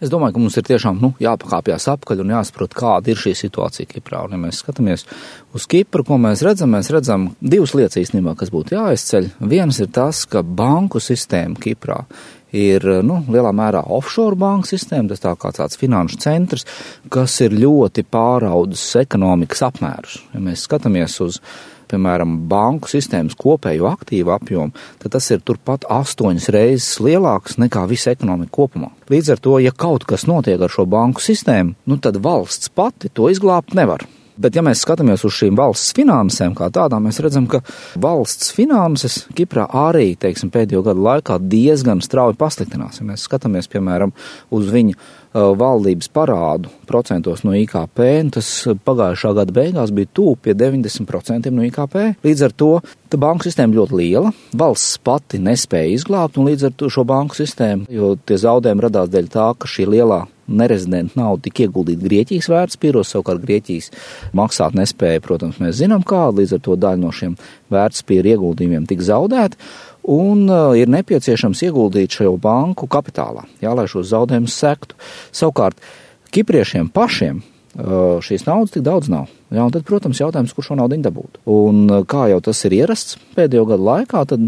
Es domāju, ka mums ir tiešām jāpakāpjas apkaļ un jāsaprot, kāda ir šī situācija Kiprā. Un, ja mēs skatāmies uz Kipru, ko mēs redzam divas lietas īstenībā, kas būtu jāizceļ. Viens ir tas, ka banku sistēma Kiprā ir lielā mērā offshore banku sistēma, tas tā kā tāds finanšu centrs, kas ir ļoti pāraudzis ekonomikas apmērus. Ja mēs skatāmies uz, piemēram, banku sistēmas kopējo aktīvu apjomu, tad tas ir turpat 8 reizes lielāks nekā visa ekonomika kopumā. Līdz ar to, ja kaut kas notiek ar šo banku sistēmu, tad valsts pati to izglābt nevar. Bet, ja mēs skatāmies uz šīm valsts finansēm kā tādām, mēs redzam, ka valsts finanses Kiprā arī, pēdējo gadu laikā diezgan strauji pasliktinās. Ja mēs skatāmies, piemēram, uz viņu valdības parādu procentos no IKP, tas pagājušā gada beigās bija tuvu pie 90% no IKP. Līdz ar to banku sistēma ļoti liela, valsts pati nespēja izglābt, un līdz ar to šo banku sistēmu, jo tie zaudējumi radās dēļ tā, ka šī lielā nerezidenta nauda tika ieguldīta Grieķijas vērtspapīros, savukārt Grieķijas maksāt nespēja, protams, mēs zinām kādu, līdz ar to daļa no šiem vērtspapīru ieguldījumiem tika zaudēta, un ir nepieciešams ieguldīt šajā banku kapitālā, lai šos zaudējumus sektu. Savukārt, kipriešiem pašiem šīs naudas tik daudz nav. Un tad, protams, jautājums, kur šo naudu dabūt. Un kā jau tas ir ierasts pēdējo gadu laikā, tad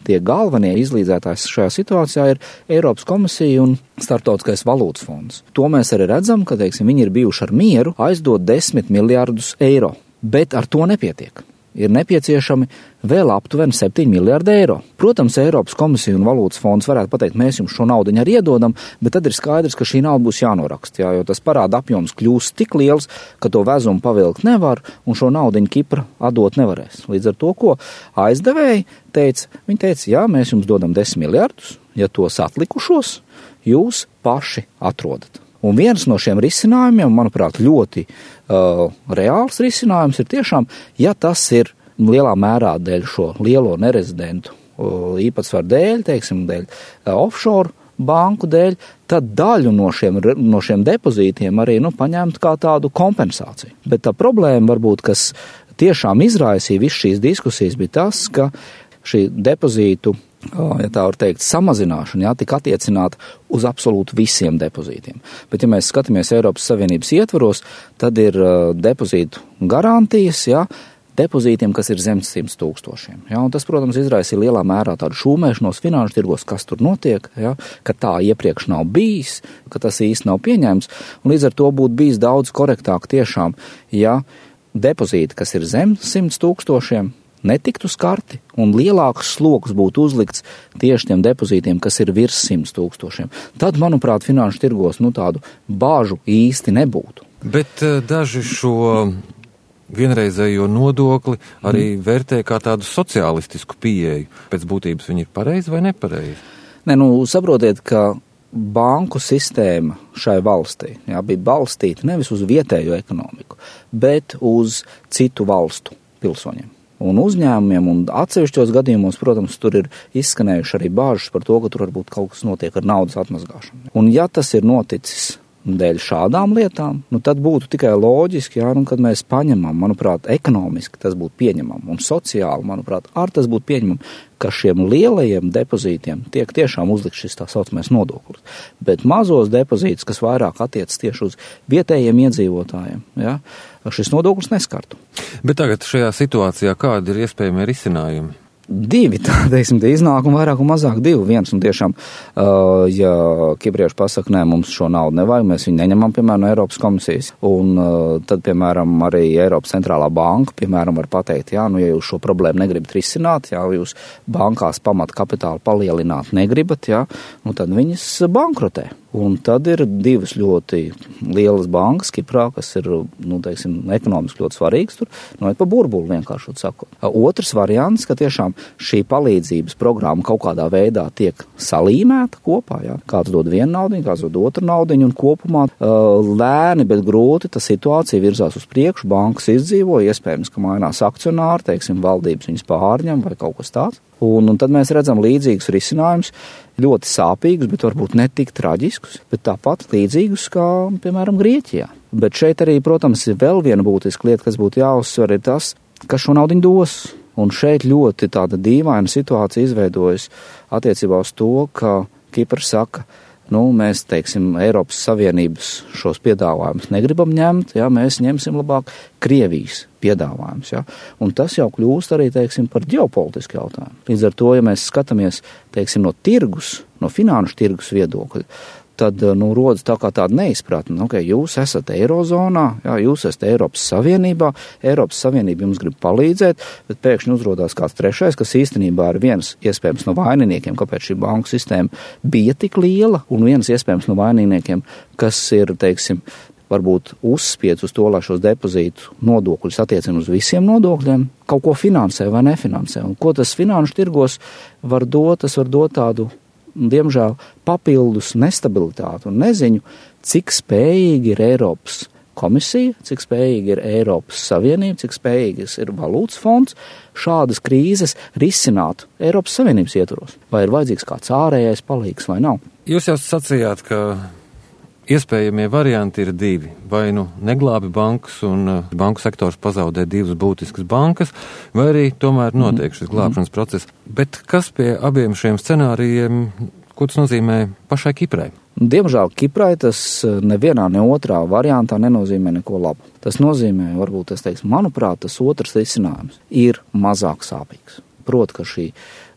tie galvenie izlīdzētājs šajā situācijā ir Eiropas komisija un Starptautiskais valūtas fonds. To mēs arī redzam, ka, viņi ir bijuši ar mieru aizdot 10 miljārdus eiro, bet ar to nepietiek. Ir nepieciešami vēl aptuveni 7 miljārdi eiro. Protams, Eiropas komisija un valūtas fonds varētu pateikt, mēs jums šo naudu arī iedodam, bet tad ir skaidrs, ka šī nauda būs jānoraksta, jo tas parāda apjoms kļūst tik liels, ka to vezumu pavilkt nevar un šo naudu Kipra atdot nevarēs. Līdz ar to, ko aizdevēji teica, viņi teica, jā, mēs jums dodam 10 miljārdus, ja tos atlikušos jūs paši atrodat. Un viens no šiem risinājumiem, manuprāt, ļoti reāls risinājums ir tiešām, ja tas ir lielā mērā dēļ šo lielo nerezidentu īpatsvaru dēļ, dēļ offshore banku dēļ, tad daļu no šiem depozītiem arī paņemt kā tādu kompensāciju. Bet tā problēma varbūt, kas tiešām izraisīja visu šīs diskusijas, bija tas, ka šī depozītu, ja tā var teikt, samazināšana, tika attiecināta uz absolūti visiem depozītiem. Bet, ja mēs skatāmies Eiropas Savienības ietvaros, tad ir depozītu garantijas, depozītiem, kas ir zem 100 000. Un tas, protams, izraisīja lielā mērā tādu šūmēšanos finanšu tirgos, kas tur notiek, ka tā iepriekš nav bijis, ka tas īsti nav pieņēmts. Un līdz ar to būtu bijis daudz korektāk tiešām, ja depozīti, kas ir zem 100 000, netiktu skarti un lielāks sloks būtu uzlikts tieši tiem depozītiem, kas ir virs 100 000. Tad, manuprāt, finanšu tirgos tādu bāžu īsti nebūtu. Bet daži šo vienreizējo nodokli arī vērtē kā tādu sociālistisku pieeju. Pēc būtības viņi ir pareizi vai nepareizi? Saprotiet, ka banku sistēma šai valstī bija balstīta nevis uz vietējo ekonomiku, bet uz citu valstu pilsoņiem un uzņēmumiem, un atsevišķos gadījumos, protams, tur ir izskanējuši arī bāžas par to, ka tur varbūt kaut kas notiek ar naudas atmazgāšanu. Un ja tas ir noticis dēļ šādām lietām, tad būtu tikai loģiski, kad mēs paņemam, manuprāt, ekonomiski tas būtu pieņemam, un sociāli, manuprāt, tas būtu pieņemam, ka šiem lielajiem depozītiem tiek tiešām uzlikts šis tā saucamais nodoklis. Bet mazos depozītus, kas vairāk attiecas tieši uz vietējiem iedzīvotājiem, šis nodoklis neskartu. Bet tagad šajā situācijā kādi ir iespējami risinājumi? Divi, tie iznākumi vairāk un mazāk divi. Viens, un tiešām, ja kiprieši pasaka, nē, mums šo naudu nevajag, mēs viņu neņemam, piemēram, no Eiropas komisijas, un tad, piemēram, arī Eiropas centrālā banka, piemēram, var pateikt, ja jūs šo problēmu negribat risināt, jūs bankās pamat kapitālu palielināt negribat, tad viņas bankrotē. Un tad ir divas ļoti lielas bankas Kiprā, kas ir, ekonomiski ļoti svarīgas tur, pa burbuli vienkāršot sakot. Otrs variants, ka tiešām šī palīdzības programma kaut kādā veidā tiek salīmēta kopā, Kāds dod vienu naudiņu, kāds dod otru naudiņu, un kopumā lēni, bet grūti tā situācija virzās uz priekšu, bankas izdzīvo, iespējams, ka mainās akcionāri, valdības viņas pārņem vai kaut kas tāds. Un tad mēs redzam līdzīgus risinājumus, ļoti sāpīgus, bet varbūt ne tik traģiskus, bet tāpat līdzīgus kā, piemēram, Grieķijā. Bet šeit arī, protams, ir vēl viena būtiska lieta, kas būtu jāuzsver, ir tas, kas šo naudiņu dos. Un šeit ļoti tāda dīvaina situācija izveidojas attiecībā uz to, ka Kipra saka, mēs, teiksim, Eiropas Savienības šos piedāvājumus negribam ņemt, jā, mēs ņemsim labāk Krievijas piedāvājumus, jā. Un tas jau kļūst arī, teiksim, par ģeopolitisku jautājumu. Līdz ar to, ja mēs skatāmies, teiksim, no tirgus, no finanšu tirgus viedokļa, tad, rodas tā kā tāda neizpratne, okay, jūs esat Eirozonā, jā, jūs esat Eiropas Savienībā, Eiropas Savienība jums grib palīdzēt, bet pēkšņi uzrodās kāds trešais, kas īstenībā ir viens iespējams no vaininiekiem, kāpēc šī banku sistēma bija tik liela, un viens iespējams no vaininiekiem, kas ir, teiksim, varbūt uzspiedz uz to, lai šos depozītu nodokļus attiecina uz visiem nodokļiem, kaut ko finansē vai nefinansē. Un ko tas finanšu tirgos var dot? Tas var dot tādu, diemžēl, papildus nestabilitāti un neziņu, cik spējīgi ir Eiropas komisija, cik spējīgi ir Eiropas Savienība, cik spējīgas ir valūtas fonds šādas krīzes risināt Eiropas Savienības ietvaros. Vai ir vajadzīgs kāds ārējais palīgs vai nav? Jūs jau sacījāt, ka iespējamie varianti ir divi. Vai neglābi bankas un banku sektors pazaudē divas būtiskas bankas, vai arī tomēr notiek šis glābšanas process. Bet kas pie abiem šiem scenārijiem, ko tas nozīmē pašai Kiprai? Diemžēl Kiprai tas nevienā, ne otrā variantā nenozīmē neko labu. Tas nozīmē, varbūt es teikšu, manuprāt, tas otrs risinājums ir mazāk sāpīgs. Proti, ka šī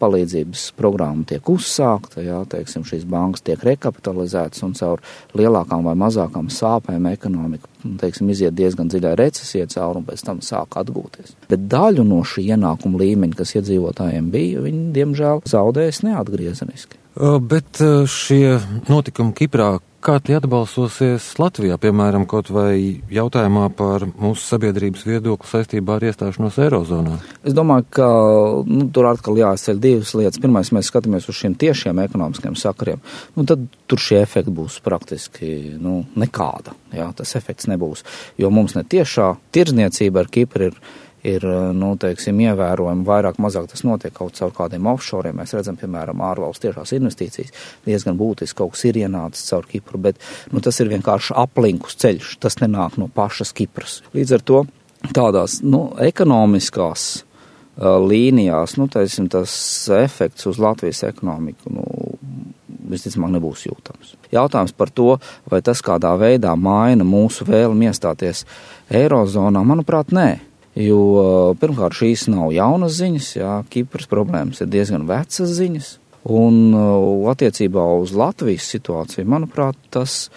palīdzības programma tiek uzsākta, jā, teiksim, šīs bankas tiek rekapitalizētas un caur lielākām vai mazākām sāpēm ekonomika, teiksim, iziet diezgan dziļā recesijā cauri un pēc tam sāk atgūties. Bet daļu no šī ienākuma līmeņa, kas iedzīvotājiem bija, viņi, diemžēl, zaudējas neatgriezeniski. Bet šie notikumi Kiprā, kā tie atbalsosies Latvijā, piemēram, kaut vai jautājumā par mūsu sabiedrības viedokli saistībā ar iestāšanos Eirozonā? Es domāju, ka tur atkal jāizceļ divas lietas. Pirmais, mēs skatāmies uz šiem tiešiem ekonomiskiem sakariem. Tad tur šie efekti būs praktiski nekāda. Jā, tas efekts nebūs, jo mums ne tiešā tirdzniecība ar Kipru ir teiksim, ievērojami vairāk mazāk tas notiek kaut caur kādiem offshoriem. Mēs redzam, piemēram, ārvalstu tiešās investīcijas. Diezgan būtiski kaut kas ir ienācis caur Kipru, bet tas ir vienkārši aplinkus ceļš. Tas nenāk no pašas Kipras. Līdz ar to tādās ekonomiskās līnijās, teiksim, tas efekts uz Latvijas ekonomiku, visticamāk nebūs jūtams. Jautājums par to, vai tas kādā veidā maina mūsu vēlmi iestāties Eirozonā, manuprāt, nē. Jo pirmkārt šīs nav jaunas ziņas, jā, Kipras problēmas ir diezgan vecas ziņas, un attiecībā uz Latvijas situāciju, manuprāt, tas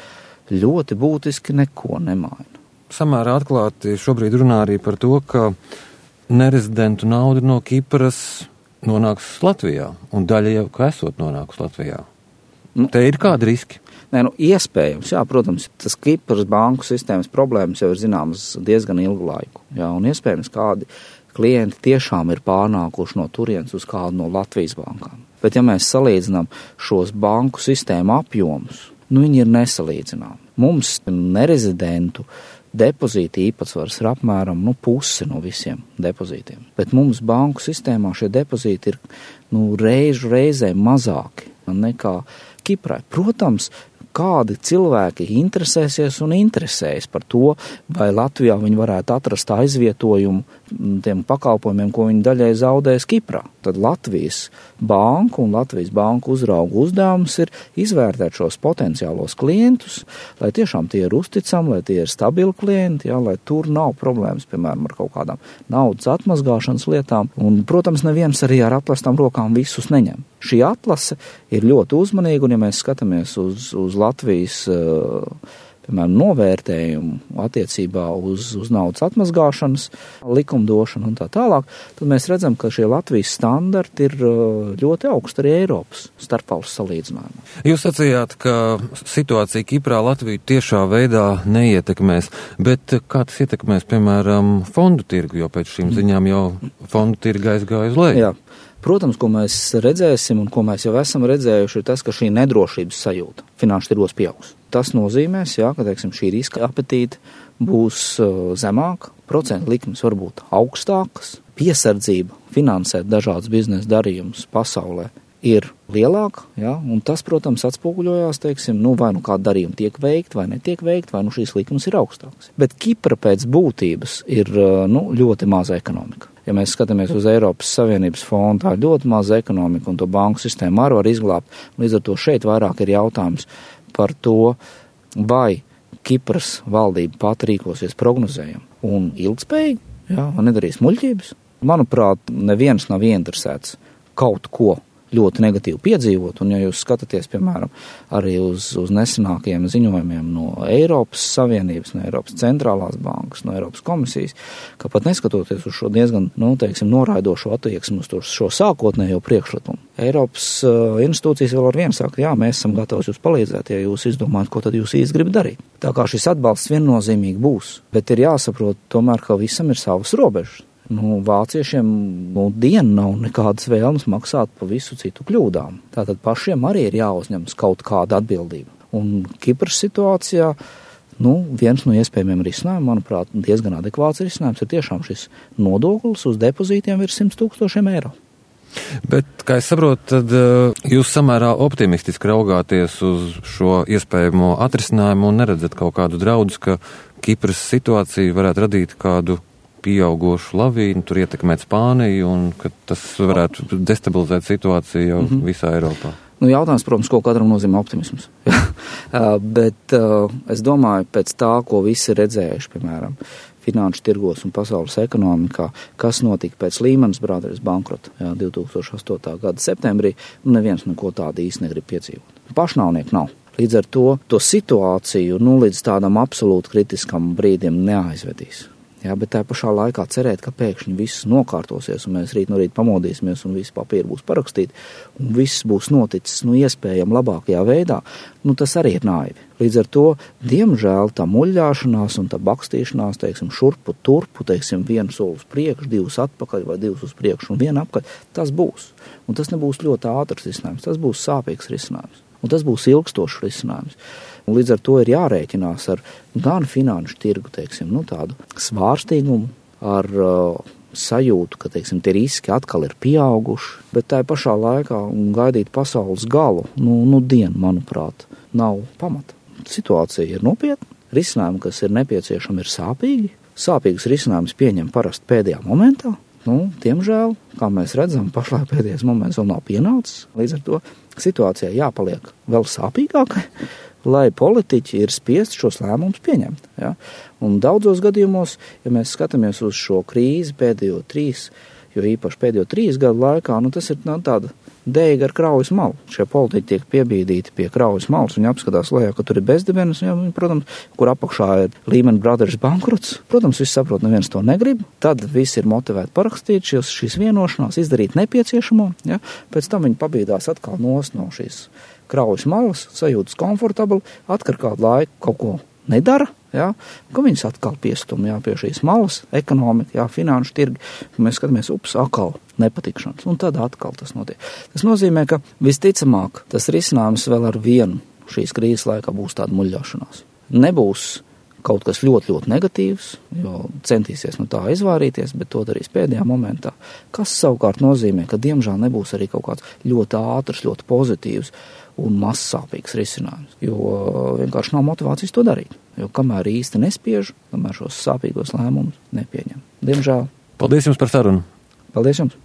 ļoti būtiski neko nemaina. Samērā atklāti šobrīd runā arī par to, ka nerezidentu nauda no Kipras nonāks Latvijā, un daļa jau, ka esot nonākus Latvijā. Te ir kādi riski? Nē, iespējams, jā, protams, tas Kipras banku sistēmas problēmas jau ir zināmas diezgan ilgu laiku, jā, un iespējams kādi klienti tiešām ir pārnākuši no turienes uz kādu no Latvijas bankām. Bet ja mēs salīdzinām šos banku sistēmu apjomus, viņi ir nesalīdzināmi. Mums nerezidentu depozīta īpatsvars ir apmēram pusi no visiem depozītiem, bet mums banku sistēmā šie depozīti ir reizē mazāki nekā Kiprai. Protams, kādi cilvēki interesēsies un interesējas par to, vai Latvijā viņi varētu atrast aizvietojumu tiem pakalpojumiem, ko viņi daļai zaudēs Kiprā. Tad Latvijas banku un Latvijas banku uzraugu uzdevums ir izvērtēt šos potenciālos klientus, lai tiešām tie ir uzticami, lai tie ir stabili klienti, jā, lai tur nav problēmas, piemēram, ar kaut kādām naudas atmazgāšanas lietām. Un, protams, neviens arī ar atplestām rokām visus neņem. Šī atlase ir ļoti uzmanīga, un ja mēs skatāmies uz Latvijas, piemēram, novērtējumu attiecībā uz naudas atmazgāšanas likumdošanu un tā tālāk, tad mēs redzam, ka šie Latvijas standarti ir ļoti augsti arī Eiropas starpvalstu salīdzinājumā. Jūs sacījāt, ka situācija Kiprā Latviju tiešā veidā neietekmēs, bet kā tas ietekmēs, piemēram, fondu tirgu, jo pēc šīm ziņām jau fondu tirga aizgāja uz leju? Jā. Protams, ko mēs redzēsim un ko mēs jau esam redzējuši, ir tas, ka šī nedrošības sajūta finanšu tirgos pieaugs. Tas nozīmēs, jā, ka, teiksim, šī riska apetīte būs zemāka, procentu likmes varbūt augstākas, piesardzība finansēt dažādas biznesa darījumus pasaulē ir lielāka, jā, un tas, protams, atspoguļojās, teiksim, vai kāda darījuma tiek veikta vai netiek veikta, vai šīs likmes ir augstākas. Bet Kipra pēc būtības ir, ļoti maza ekonomika. Ja mēs skatāmies uz Eiropas Savienības fondu, tā ir ļoti maza ekonomika, un to banku sistēmu arī var izglābt. Līdz ar to šeit vairāk ir jautājums par to, vai Kipras valdība pat rīkosies prognozējami un ilgspējīgi, un nedarīs muļķības. Manuprāt, neviens nav ieinteresēts kaut ko ļoti negatīvi piedzīvot, un ja jūs skatāties, piemēram, arī uz nesenākajiem ziņojumiem no Eiropas Savienības, no Eiropas centrālās bankas, no Eiropas komisijas, ka pat neskatoties uz šo diezgan, noraidošo attieksmi uz šo sākotnējo priekšlikumu, Eiropas institūcijas vēl ar vienu saka, mēs esam gatavi jūs palīdzēt, ja jūs izdomājat, ko tad jūs īsti gribat darīt. Tā kā šis atbalsts viennozīmīgi būs, bet ir jāsaprot tomēr, ka visam ir savas robežas. Vāciešiem dienu nav nekādas vēlmes maksāt pa visu citu kļūdām. Tātad pašiem arī ir jāuzņemas kaut kāda atbildība. Un Kipras situācijā, viens no iespējamiem risinājumiem, manuprāt, diezgan adekvāts risinājums ir tiešām šis nodoklis uz depozītiem virs 100,000 eiro. Bet, kā es saprotu, tad jūs samērā optimistiski raugāties uz šo iespējamo atrisinājumu un neredzat kaut kādu draudus, ka Kipras situācija varētu radīt kādu pieaugošu lavīnu, tur ietekmēt Spāniju un ka tas varētu destabilizēt situāciju jau visā Eiropā. Jautājums, protams, ko katram nozīmē optimisms. Bet es domāju, pēc tā, ko visi ir redzējuši, piemēram, finanšu tirgos un pasaules ekonomikā, kas notika pēc Lehman Brothers bankrota 2008. gada septembrī, neviens neko tādu īsti negrib piedzīvot. Pašnāvnieku nav. Līdz ar to situāciju līdz tādam absolūti kritiskam brīdim neaizvedīs. Bet tā pašā laikā cerēt, ka pēkšņi viss nokārtosies un mēs rīt no rīta pamodīsimies un visi papīri būs parakstīti un viss būs noticis iespējami labākajā veidā, tas arī ir naivi. Līdz ar to, diemžēl, tā muļļāšanās un tā bakstīšanās, šurpu, turpu, vienu soli uz priekšu, divus atpakaļ vai divus uz priekšu un vienu apkaļ, tas būs. Un tas nebūs ļoti ātrs risinājums, tas būs sāpīgs risinājums. Un tas būs ilgstošs risinājums. Un līdz ar to ir jārēķinās ar gan finanšu tirgu, tādu svārstīgumu, ar sajūtu, ka, tie riski atkal ir pieauguši, bet tā pašā laikā gaidīt pasaules galu, dienu, manuprāt, nav pamata. Situācija ir nopietna, risinājumi, kas ir nepieciešami, ir sāpīgi. Sāpīgus risinājumus pieņem parasti pēdējā momentā. Diemžēl, kā mēs redzam, pašlaik pēdējais moments vēl nav pienācis. Līdz ar to situācijai jāpaliek vēl sāpīgākai, lai politiķi ir spiest šos lēmumus pieņemt. Ja? Un daudzos gadījumos, ja mēs skatāmies uz šo krīzi pēdējo 3 gadu laikā, tas ir tāda deiga ar kraujas malu. Šie politiķi tiek piebīdīti pie kraujas malas, viņi apskatās lejā, ka tur ir bezdibenes, protams, kur apakšā ir Lehman Brothers bankrots. Protams, visi saprot, neviens to negrib. Tad visi ir motivēti parakstīt šīs vienošanās, izdarīt nepieciešamo. Ja? Pēc tam viņi pabīdās atkal no šīs kraujas malas, sajūtas komfortabli, atkar kādu laiku kaut ko nedara, ka viņas atkal piestum pie šīs malas, ekonomika, finanšu tirgi. Mēs skatāmies, atkal nepatikšanas, un tad atkal tas notiek. Tas nozīmē, ka visticamāk tas risinājums vēl ar vienu šīs krīzes laikā būs tāda muļļāšanās. Nebūs kaut kas ļoti, ļoti negatīvs, jo centīsies no tā izvairīties, bet to darīs pēdējā momentā. Kas savukārt nozīmē, ka diemžēl nebūs arī kaut kāds ļoti ātrs, ļoti pozitīvs un mazsāpīgs risinājums, jo vienkārši nav motivācijas to darīt. Jo kamēr īsti nespiež, kamēr šos sāpīgos lēmumus nepieņem. Diemžēl. Paldies jums par sarunu. Paldies jums.